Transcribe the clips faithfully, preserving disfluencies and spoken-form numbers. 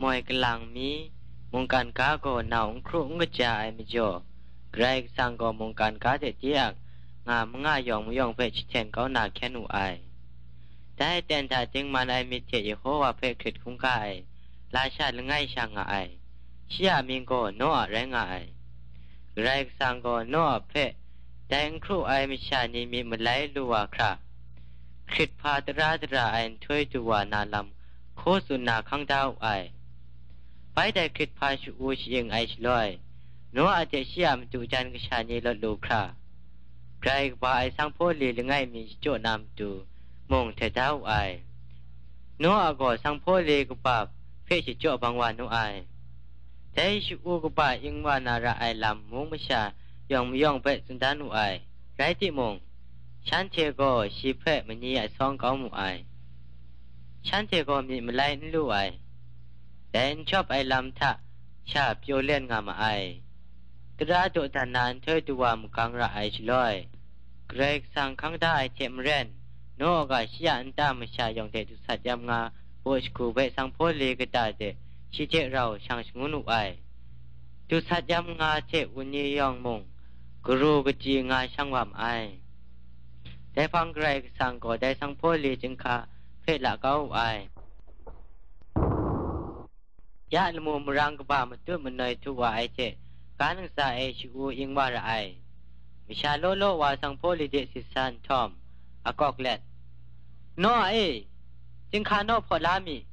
Moi kalang mi, mungkan ga gaw nau n hkru n kaja ai majaw, Karai Kasang gaw mungkan ga hte de-ak nga manga yawng mayawng hpe jahten kau na hkyen wu ai. Dai ten hta dingman ai myit hte Yehowa hpe hkrit hkungga ai lasha langai sha nga ai, shi a mying gaw Noa rai nga ai. Karai Kasang gaw Noa hpe dai n hkru ai masha ni myit malai lu wa hkra, hkrit hpa tara dara ai nhtoi du wa na lam hkaw tsun na hkang da wu ai. Bai dai hkrit hpa sha-u sha-ing ai shaloi, Noa hte shi a madu jan kasha ni lawt lu hkra, grai kaba ai sanghpaw li langai mi shachyaw na matu mung htet da wu ai. Noa gaw sanghpaw li kaba hpe shachyaw bang wa nu ai. Dai sha-u kaba ing wa na ra ai lam mung masha yawng mayawng hpe tsun dan wu ai. Rai timung, shanhte gaw shi hpe mani asawng kau mu ai. Shanhte gaw myit malai n lu ai. Dai n jawp ai lam hta sha pyaw len nga ma ai. Tara dawdan na nhtoi du wa magang ra ai shaloi, Karai Kasang hkang da ai hte maren, Noa ga shi a nta masha yawng hte dusat yam nga baw shagu bai sanghpaw li kata de shi hte rau shang shangun wu ai. Dusat yam nga hte wunni yawng mung, garu kachyi nga shang wa ma ai. Dai hpang Karai Kasang gaw dai sanghpaw li chyinghka hpe la kau wu ai. Ya lamu marang kaba matut manoi htu wa ai hte, ga ntsa e sha-u ing wa ra ai. Masha law law wa sanghpaw li de sit sa nhtawm, akawk let, "Noa e, chyinghka naw hpaw la mi,"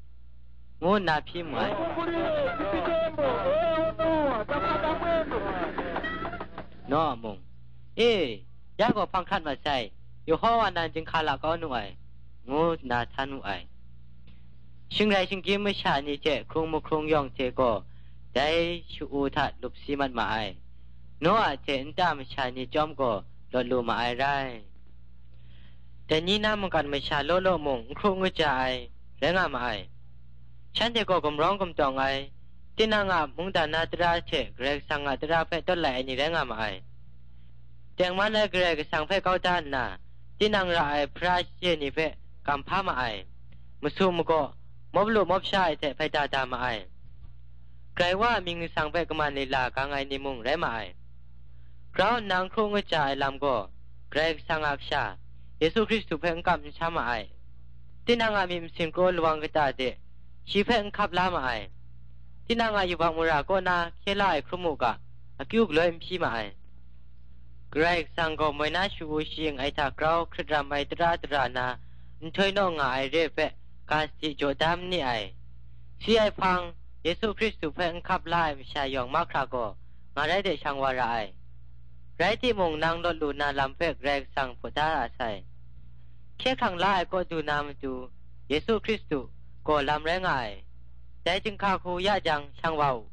ngu nna hpyi mu ai. Noa mung, "E, ya gaw hpang hkrat mat sai, Yehowa nan chyinghka la kau nu ai," ngu nna htan wu ai. Shingrai shinggyim masha ni hte hkrung mahkrung yawng hte gaw dai sha-u hta lup si mat ma ai. Noa hte nta masha ni chyawm gaw lawt lu ma ai rai. Dai ni na mungkan masha law law mung n hkru n kaja ai rai nga ma ai. Shanhte gaw gumrawng gumtawng ai, tinang a mungdan na tara hte Karai Kasang a tara hpe tawt lai ai ni rai nga ma ai. Tengman ai Karai Kasang hpe kau da nna, tinang ra ai hpara shachye ni hpe gam hpa ma ai, masu magaw, mawp lu mawp sha ai hte hpaida da ma ai. Karai Wa a mying lasang hpe kaman lila gang ai ni mung rai ma ai. Grau nna n hkru n kaja ai lam gaw, Karai Kasang a Kasha, Yesu Hkristu hpe n kamsham ma ai. Tinang a myit masin kraw lawang kata de, shi hpe n hkap la ma ai. Tinang a yubak mara kaw na hkye la ai hkrum u ga, akyu galoi n hpyi ma ai. Karai Kasang gaw moi na sha-u shaing ai hta grau hkrit ram ai tara dara na, nhtoi naw nga ai re hpe, ga sadi jaw da ma ni ai. Si ai hpang, Yesu Hkristu hpe n hkap la ai masha yawng mahkra gaw, nga rai de shang wa ra ai. Rai timung, nang lawt lu na lam hpe Karai Kasang hpaw da ra sai. Hkye hkrang la ai kaw du na matu, Yesu Hkristu gaw lam rai nga ai. Dai chyinghka hku ya jang, shang wa u.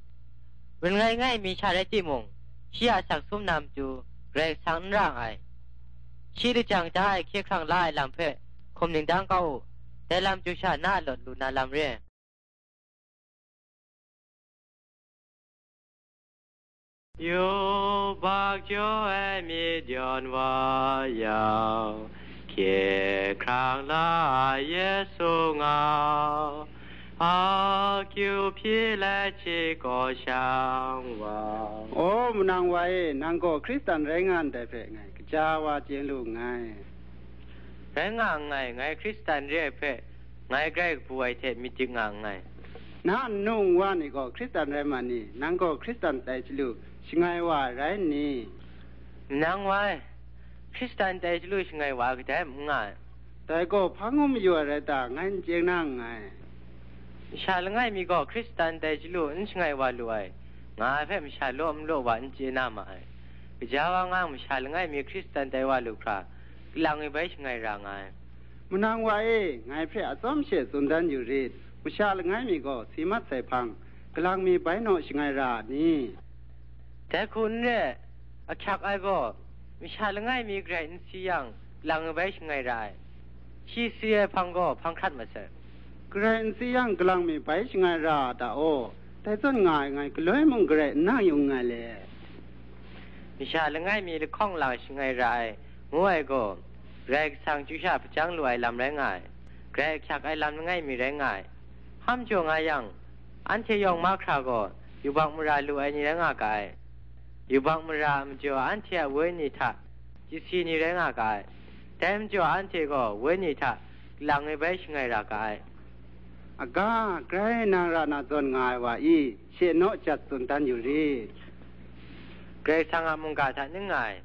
Rin ngai ngai mi sha rai timung, shi a asak sum na matu, Karai Kasang n ra nngai. Shi lajang da ai hkye hkrang la ai lam hpe hkum ning dang kau u. Dai lam chyu sha na a lawt lu na lam re. Yubak jaw ai myit yawn wa yang, hkye hkrang la ai Yesu ngau, akyu hpyi let shi gaw shang wa. O manang wa e, nang gaw Hkristan rai nga ndai hpe ngai kaja wa chye lu nngai. Rai nga nngai, ngai Hkristan re ai hpe ngai grai kabu ai hte myit dik nga nngai. Na nnu nwa ni gaw Hkristan rai ma ni? Nang gaw Hkristan tai chyalu shangai wa ai rai n ni? Nang wa e, Hkristan tai chyalu shangai wa ai kadai n nga ai. Dai gaw hpa ngu mayu ai rai ta, ngai n chye na nngai. Masha langai mi gaw Hkristan tai chyalu n shangai wa lu ai, nga ai hpe masha law n law wa n chye na ma ai. Gaja wa nga masha langai mi Hkristan tai wa lu hkra, kalang mi bai shangai ra nga ai. Manang wa e, ngai hpe atsawm she tsun dan yu rit, masha langai mi gaw si mat sai hpang, kalang mi bai naw shangai ra a ni? Dai hku n re, ahkyak ai gaw, masha langai mi garai n si yang, kalang mi bai shangai ra ai. Shi si ai hpang gaw hpang hkrat mat sai. Garai n si yang, kalang mi bai shangai ra a ta aw? Dai zawn nga ai ngai galoi mung garai n na yu nngai le. Masha langai mi lahkawng lang shangai ra ai, ngu ai gaw, Karai Kasang chyu sha hpajang lu ai lam rai nga ai, grai ahkyak ai lam langai mi rai nga ai. Hpam jaw nga yang, Anhte yawng mahkra gaw yubak mara lu ai ni rai nga ga ai. Yubak mara a majaw anhte a wenyi hta chyasi ni rai nga ga ai. Dai majaw anhte gaw wenyi hta kalang e bai shangai ra ga ai. Aga, grai nang ra na zawn nga ai wa i, she naw jat tsun dan yu rit. Karai Kasang a mungga hta ning nga ai.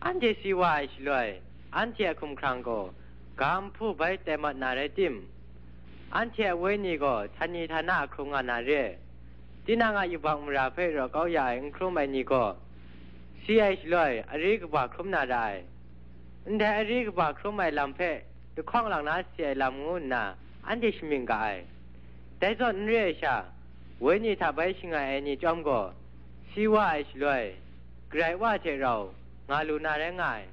Anhte si wa ai shaloi, anhte a hkumhkrang gaw ga nhpu bai tai mat na rai tim, anhte a wenyi gaw htani htana hkrung nga na re. Tinang a yubak mara hpe raw kau ya ai n hkrum ai ni gaw, si ai shaloi, ari kaba hkrum na ra ai. Ndai ari kaba hkrum ai lam hpe lahkawng lang na si ai lam ngu nna, anhte shamying ga ai. Dai zawn n re ai sha, wenyi hta bai shangai ai ni chyawm gaw, si wa ai shaloi, Karai Wa hte rau nga lu na rai nga ai.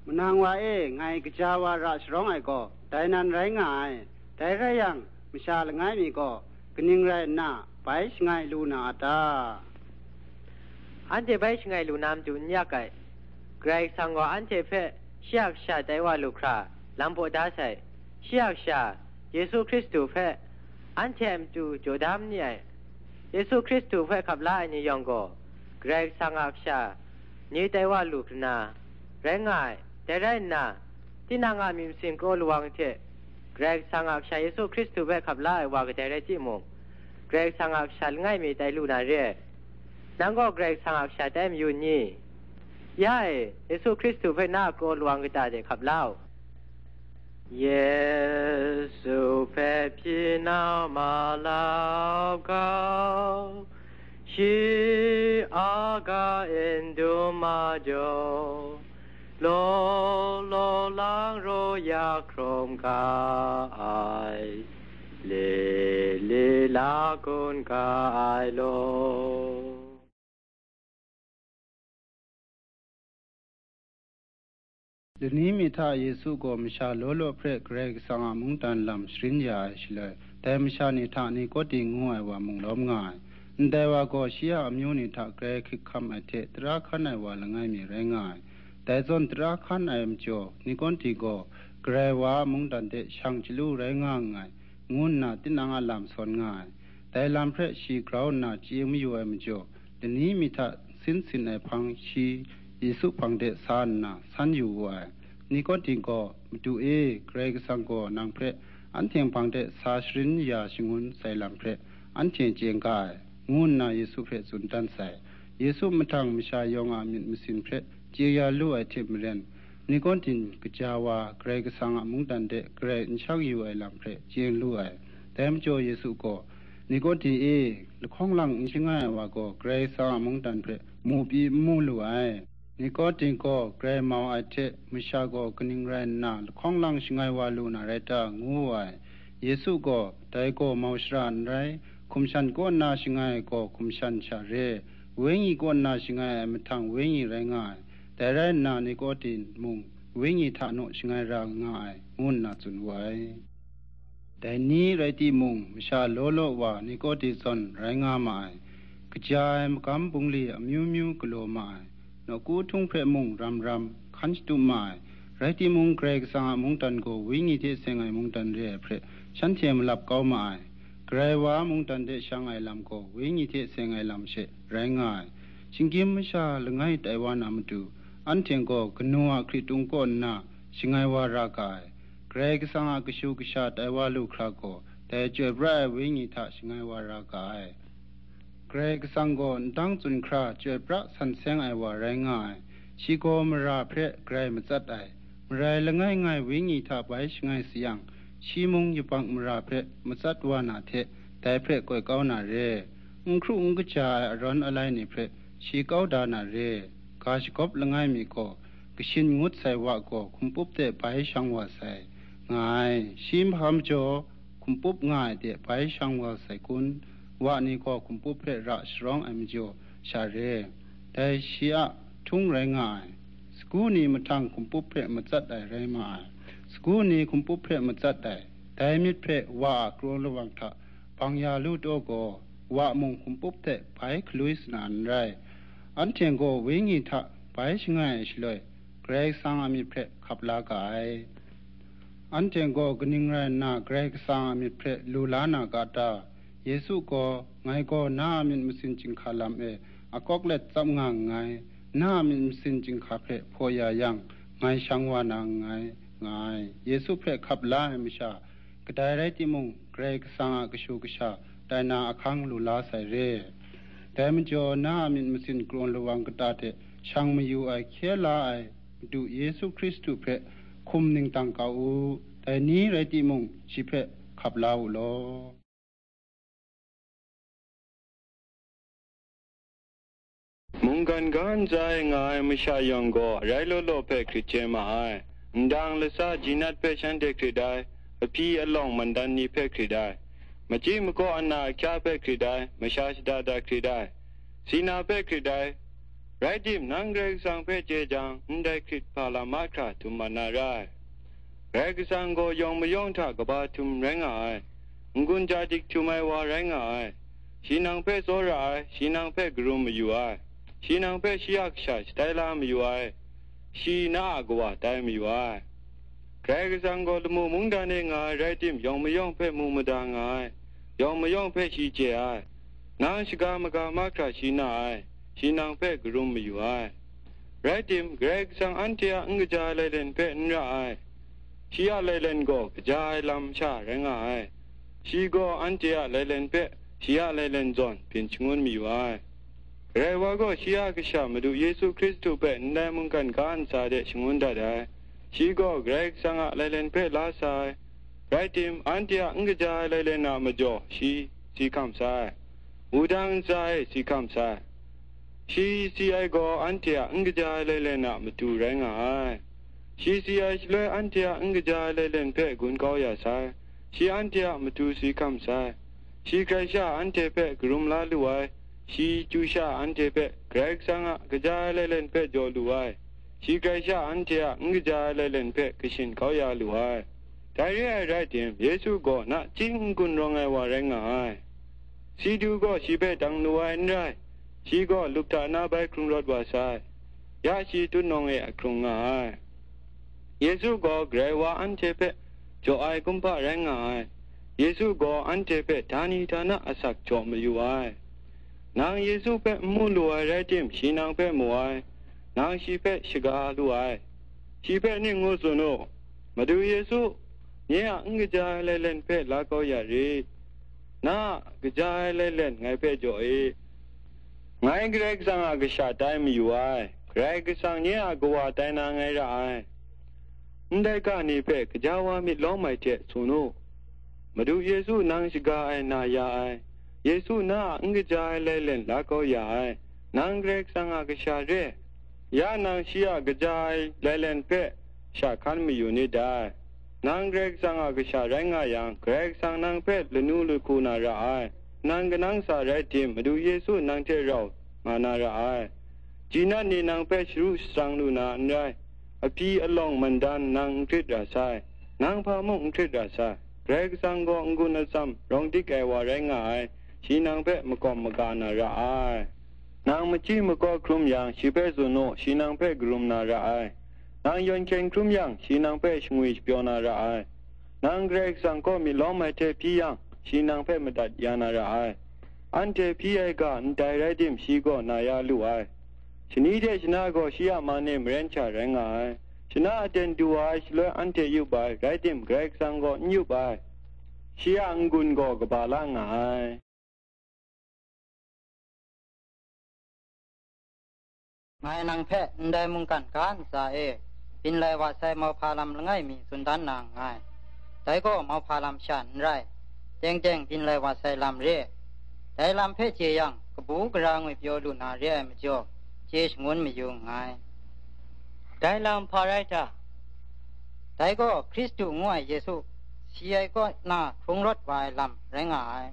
Manang wa e, ngai kaja wa ra sharawng ai gaw, dai nan rai nga ai. Dai rai yang, masha langai mi gaw, kaning rai nna, bai shangai lu na a ta? Anhte bai shangai lu na matu n yak ai. Karai Kasang gaw anhte hpe shi a kasha tai wa lu hkra, lam paw da sai. Shi a kasha, Yesu Hkristu hpe, anhte a matu jaw da ma ni ai. Yesu Hkristu hpe hkap la ai ni yawng gaw, Karai Kasang a kasha ni tai wa lu hkra rai nga ai. Dai rai nna, tinang a myit masin kraw lawang hte Karai Kasang a kasha Yesu Hkristu hpe hkap la ai wa kadai rai timung, Karai Kasang a kasha langai mi tai lu na re ai. Nang gaw Karai Kasang a kasha tai mayu n ni? Ya e, Yesu Hkristu hpe na a kraw lawang kata de hkap la u. Yesu hpe hpyi na ma lau gau, shi a ga n dum majaw, law law lang raw ya hkrum ga ai, le le la gun ga ai law. Lani mi hta Yesu gaw masha law law hpe Karai Kasang a mungdan lam sharin ya ai shaloi, dai masha ni hta Nikodi ngu ai wa mung lawm nga ai. Ndai wa gaw shi a amyu ni hta grai hkrit hkam ai hte tara hkan ai wa langai mi rai nga ai. Dai zawn tara hkan ai majaw, Nikodi gaw Karai Wa a mungdan hte shang chyalu rai nga nngai, ngu nna tinang a lam sawn nga ai. Dai lam hpe shi grau nna chye mayu ai majaw, lani mi hta sin sin ai hpang shi Yesu hpang de sa nna san yu wu ai. Nikodi gaw, "Madu e, Karai Kasang gaw nang hpe anhte hpang de sa sharin ya shangun sai lam hpe anhte chye n ga ai," ngu nna Yesu hpe tsun dan sai. Yesu mahtang masha yawng a myit masin hpe chye ya lu ai hte maren, Nikodi kaja wa Karai Kasang a mungdan de garai n shang yu ai lam hpe chye lu ai. Dai majaw Yesu gaw, "Nikodi e, lahkawng lang n shangai ai wa gaw Karai Kasang a mungdan hpe mu pyi n mu lu ai." Nikodi gaw grai mau ai hte, masha gaw kaning rai nna lahkawng lang shangai wa lu na rai ta, ngu wu ai. Yesu gaw, "Dai gaw mau shara n rai, hkum shan kaw nna shangai ai gaw hkum shan sha re, wenyi kaw nna shangai ai mahtang wenyi rai nga ai. Dai rai nna, Nikodi mung wenyi hta naw shangai ra nga ai," ngu nna tsun wu ai. Dai ni rai timung, masha law law wa Nikodi zawn rai nga ma ai. Kaja ai magam bungli amyu myu galaw ma ai. Nawku htung hpe mung ram ram hkan shatup ma ai. Rai timung, Karai Kasang a mungdan gaw wenyi hte seng ai mungdan re ai hpe shanhte malap kau ma ai. Karai Wa a mungdan de shang ai lam gaw wenyi hte seng ai lam she rai nga ai. Shinggyim masha langai tai wa na matu, anhte gaw kanu a hkritung kaw nna shangai wa ra ga ai. Karai Kasang a kashu kasha tai wa lu hkra gaw, dai chyoi pra ai wenyi hta shangai wa ra ga ai. Karai Kasang gaw ndang tsun hkra chyoi pra san seng ai wa rai nga ai. Shi gaw mara hpe grai matsat ai. Marai langai ngai wenyi hta bai shangai sayang, shi mung yubak mara hpe matsat wa na hte, dai hpe koi kau na re. N hkru n kaja ai arawn alai ni hpe shi kau da na re. Ga shagawp langai mi gaw, kashin ngut sai wa gaw hkumpup de bai shang wa sai, nga ai. Shi hpa majaw, hkumpup nga ai de bai shang wa sai kun? Wa ni gaw hkumpup hpe ra sharawng ai majaw sha re. Dai shi a htung rai nga ai. Sagu ni mahtang hkumpup hpe matsat ai rai ma ai. Sagu ni hkumpup hpe matsat ai. Dai myit hpe wa a kraw lawang hta bang ya lu taw gaw, wa mung hkumpup hte bai galoi sana n rai. Anhte gaw wenyi hta bai shangai ai shaloi, Karai Kasang a myit hpe hkap la ga ai. Anhte gaw kaning rai nna Karai Kasang a myit hpe lu la na ga ta? Yesu gaw Ngai gaw na a myit masin chyinghka lam e akawk let tsap nga nngai, na a myit masin chyinghka hpe hpaw ya yang, ngai shang wa na nngai, nga ai. Yesu hpe hkap la ai masha, kadai rai timung, Karai Kasang a kashu kasha tai na ahkang lu la sai re. Dai majaw, na a myit masin karawn lawang kata hte shang mayu ai hkye la ai Madu Yesu Hkristu hpe hkum ningtang kau u, dai ni rai timung, shi hpe hkap la u law. Mungkan ga ntsa e nga ai masha yawng gaw arai law law hpe hkrit chye ma ai. Ndang lasa jinat hpe shanhte hkrit ai, ahpyi alawng mandan ni hpe hkrit ai, machyi makaw ana ahkya hpe hkrit ai, masha shada da hkrit ai, sina hpe hkrit ai. Rai tim, nang Karai Kasang hpe chye jang, ndai hkrit hpa lam mahkra htum mat na ra ai. Karai Kasang gaw yawng mayawng hta kaba htum rai nga ai, n-gun ja dik htum ai wa rai nga ai. Shi nang hpe tsawra ai, shi nang hpe karum mayu ai, shi nang hpe shi a kasha shatai la mayu ai, shi na a kawa tai mayu ai. Karai Kasang gaw lamu mungdan e nga ai rai tim, yawng mayawng hpe mu mada nga ai, yawng mayawng hpe shi chye ai. Nang shaga maga mahkra shi na ai, shi nang hpe karum mayu ai. Rai tim, Karai Kasang anhte a n kaja ai lailen hpe n ra ai. Shi a lailen gaw kaja ai lam sha rai nga ai. Shi gaw anhte a lailen hpe shi a lailen zawn byin shangun mayu ai. Karai wa gaw shi a Kasha Madu Yesu Hkristu hpe ndai mungkan ga ntsa de shangun dat ai. Shi gaw Karai Kasang a lailen hpe la sa ai. Rai tim, anhte a n kaja ai lailen a majaw shi si hkam sai, wudang ntsa e si hkam sai. Shi si ai gaw anhte a n kaja ai lailen a matu rai nga ai. Shi si ai shaloi anhte a n kaja ai lailen hpe gun kau ya sai. Shi anhte a matu si hkam sai. Shi grai sha anhte hpe karum la lu ai. Shi chyu sha anhte hpe Karai Kasang a kaja ai lailen hpe jaw lu ai. Shi grai sha anhte a n kaja ai lailen hpe kashin kau ya lu ai. Dai re ai rai tim, Yesu gaw nachying n-gun rawng ai wa rai nga ai. Si du gaw shi hpe dang lu ai n rai, shi gaw lup hta na bai hkrung rawt wa sai, ya shi tutnawng e ahkrung nga ai. Yesu gaw Karai wa anhte hpe jaw ai kumhpa rai nga ai. Yesu gaw anhte hpe htani htana asak jaw mayu ai. Nang Yesu hpe n mu lu ai rai tim, shi nang hpe mu ai, nang shi hpe shaga lu ai. Shi hpe ning ngu tsun u, Madu Yesu, nye a n kaja ai lailen hpe la kau ya rit. Na a kaja ai lailen ngai hpe jaw e. Ngai Karai Kasang a kasha tai mayu ai, Karai Kasang nye a kawa tai na ngai ra ai. Ndai ga ni hpe gaja wa myit lawm ai hte tsun u. Madu Yesu nang shaga ai na ya ai. Yesu na a n kaja ai lailen la kau ya ai. Nang Karai Kasang a kasha re. Ya nang shi a kaja ai lailen hpe sha hkan mayu nit dai. Nang Karai Kasang a kasha rai nga yang, Karai Kasang nang hpe lanu lahku na ra ai. Nang kanang sa rai tim, Madu Yesu nang hte rau nga na ra ai. Jinat ni nang hpe sharu shatsang lu na n rai. Ahpyi alawng mandan nang n hkrit ra sai, nang hpa mung n hkrit ra sai. Karai Kasang gaw n-gun atsam rawng dik ai wa rai nga ai, shi nang hpe makawm maga na ra ai. Nang machyi makaw hkrum yang, shi hpe tsun u, shi nang hpe karum na ra ai. Nang yawn hkyen hkrum yang, shi nang hpe shangwi shapyaw na ra ai. Nang Karai Kasang kaw myit lawm ai hte hpyi yang, shi nang hpe madat ya na ra ai. Anhte hpyi ai ga ndai rai tim, shi gaw na ya lu ai. Shani hte shana gaw shi a man e maren sha rai nga ai. Shana aten du wa ai shaloi anhte yup ai, rai tim, Karai Kasang gaw n yup ai. Shi a n-gun gaw kaba la nga ai. Ngai nang hpe ndai mungkan ga ntsa e byin lai wa sai mauhpa lam langai mi tsun dan na nngai. Dai gaw mauhpa lam sha n rai, teng teng byin lai wa sai lam re. Dai lam hpe chye yang, kabu gara ngwi pyaw lu na re ai majaw, chye shangun mayu nngai. Dai lam hpa rai ta? Dai gaw Hkristu ngu ai Yesu, si ai kaw na hkrung rawt wa ai lam rai nga ai.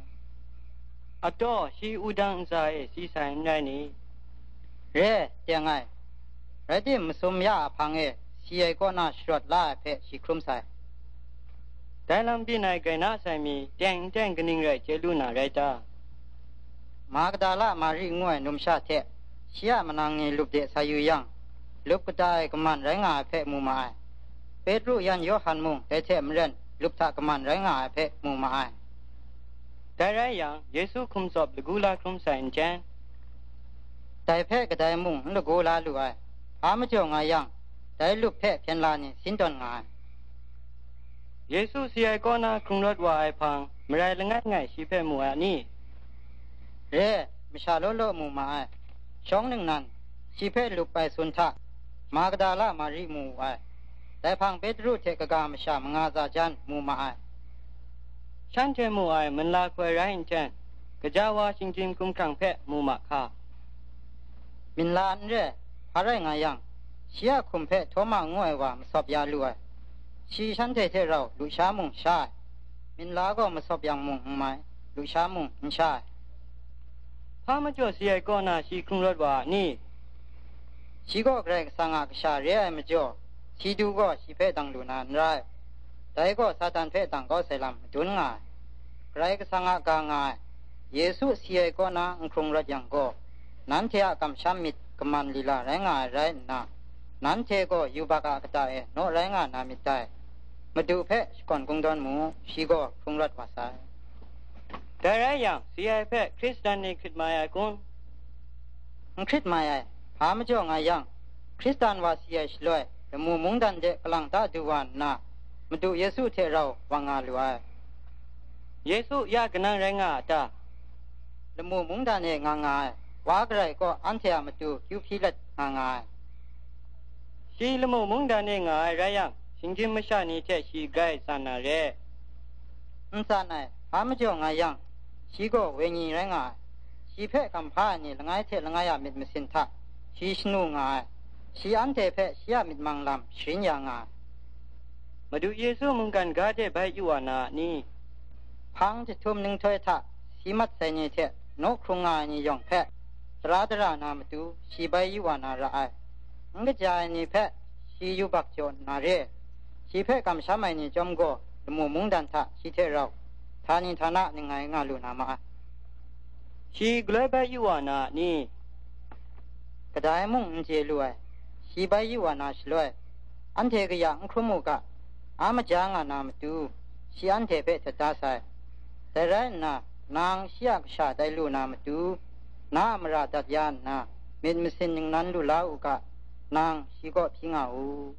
Ataw, shi wudang ntsa e si sai n rai ni? Re, teng ai. Rai tim, masum ya a hpang e si ai kaw na sharawt la ai hpe shi hkrum sai. Dai lam byin ai grai na sai mi, teng n teng kaning rai chye lu na rai ta? Magdala Mari ngu ai numsha hte shi a manang ni lup de sa yu yang, lup kata e kaman rai nga ai hpe mu ma ai. Petru yan Yawhan mung dai hte maren lup hta kaman rai nga ai hpe mu ma ai. Dai rai yang, Yesu hkum tsawp lagu la hkrum sai nten, dai hpe kadai mung n lagu la lu ai, hpa majaw nga yang, dai lup hpe hpyen la ni sin tawn nga ai. Yesu si ai kaw na hkrung rawt wa ai hpang, marai langai ngai shi hpe mu ai a ni? Re, masha law law mu ma ai. Shawng ningnan, shi hpe lup ai sun hta, Magdala Mari mu wu ai. Dai hpang Petru hte kaga masha manga tsa jan mu ma ai. Shanhte mu ai minla hkoi rai nten, gaja wa shinggyim hkumhkrang hpe mu ma hka? Minla n re, hpa rai nga yang, shi a hkum hpe Htawma ngu ai wa masawp ya lu ai. Shi shanhte hte rau lusha mung sha ai. Minla gaw masawp yang mung n mai, lusha mung n sha ai. Hpa majaw si ai kaw na shi hkrung rawt wa a ni? Shi gaw Karai Kasang a kasha re ai majaw, si du gaw shi hpe dang lu na n rai. Dai gaw Satan hpe dang kau sai lam madun nga ai. Karai Kasang a ga nga ai, Yesu si ai kaw na n hkrung rawt yang gaw, nanhte a kamsham myit kaman lila rai nga ai rai nna, nanhte gaw yubak a kata e naw rai nga na myit dai. Madu hpe shakawn kungdawn mu, shi gaw hkrung rawt wa sai. Dai rai yang, si ai hpe Hkristan ni hkrit mai ai kun? N hkrit mai ai, hpa majaw nga yang, Hkristan wa si ai shaloi, lamu mungdan de kalang ta du wa nna, Madu Yesu hte rau wa nga lu ai. Yesu ya kanang rai nga a ta? Lamu mungdan e nga nga ai, wa garai kaw anhte a matu kyu hpyi let nga nga ai. Shi lamu mungdan e nga ai rai yang, shinggyim masha ni hte shi grai tsan na re? N tsan ai, hpa majaw nga yang, shi gaw wenyi rai nga ai. Shi hpe gam hpa ai ni langai hte langai a myit masin hta shi shanu nga ai. Shi anhte hpe shi a myit mang lam sharin ya nga ai. Madu Yesu mungkan ga de bai yu wa na a ni? Hpang jahtum ninghtoi hta si mat sai ni hte naw hkrung nga ai ni yawng hpe, tara dara na matu shi bai yu wa na ra ai. N kaja ai ni hpe shi yubak jaw nna re, shi hpe kamsham ai ni chyawm gaw lamu mungdan hta shi hte rau htani htana ningai nga lu na ma ai. Shi galoi bai yu wa na a ni? Kadai mung n chye lu ai, shi bai yu wa na shaloi, anhte kaya n hkrum u ga, a maja nga na matu, shi anhte hpe htet da sai. Dai rai nna, nang shi a kasha tai lu na matu, na a mara dat ya nna, myit masin ningnan lu la u ga, nang shi kaw hpyi nga u.